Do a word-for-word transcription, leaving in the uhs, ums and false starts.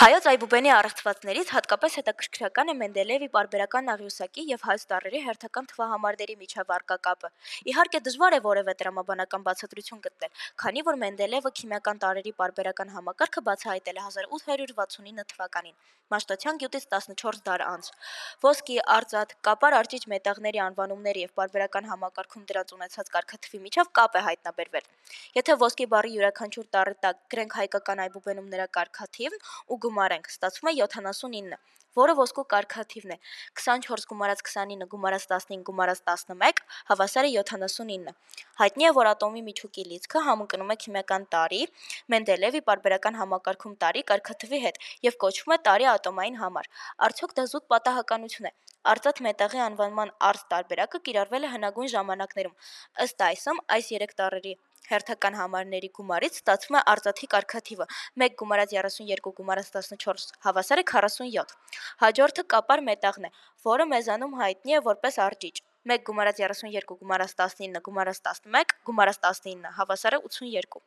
Հայոց այբուբենի առեղծվածներից հատկապես հետաքրքրական է Մենդելեևի պարբերական աղյուսակի եւ հայոց տառերի հերթական թվահամարների միջև առկա կապը։ Իհարկե դժվար է որևէ տրամաբանական բացատրություն գտնել, քանի որ Մենդելեևը քիմիական տարրերի պարբերական համակարգը բացահայտել է հազար ութ հարյուր վաթսունինը թվականին, Մաշտոցյան գյուտից տասնչորս դար անց։ Ոսկի, արծաթ, կապար արճիճ մետաղների անվանումների եւ պարբերական համակարգում դրանց ունեցած կարգաթվի միջև կապ է հայտնաբերվել։ Եթե ոսկի բառի յուրաքանչյուր տառի տակ գրենք հայկական այբուբենում նրա կարգաթիվն ու գումարենք, ստացվում է յոթանասունինը, որը ոսկու կարգաթիվն է, քսանչորս գումարած քսանինը գումարած տասնինը գումարած տասնմեկ, հավասար է յոթանասունինը։ Հայտնի է, որ ատոմի միջուկի լիցքը համընկնում է քիմիական տարրի, Մենդելեևի պարբերական համակարգում տարրի կարգաթվի հետ եւ կոչվում է տարրի ատոմային համար։ Արդյոք դա զուտ պատահականություն է։ Արծաթ մետաղի անվանման արծ տարբերակը կիրառվել է հնագույն ժամանակներում։ Ըստ այսմ, այս երեք տառերի հերթական համարների գումարից ստացվում է արծաթի կարգաթիվը մեկ գումարած երեսունյերկու գումարած տասնչորս հավասար է քառասունյոթ։ Հաջորդը կապար մետաղն է, որը մեզանում հայտնի է որպես արճիճ։ մեկ գումարած երեսունյերկու գումարած տասնինը գումարած տասնմեկ գումարած տասնինը հավասար է ութսունյերկու։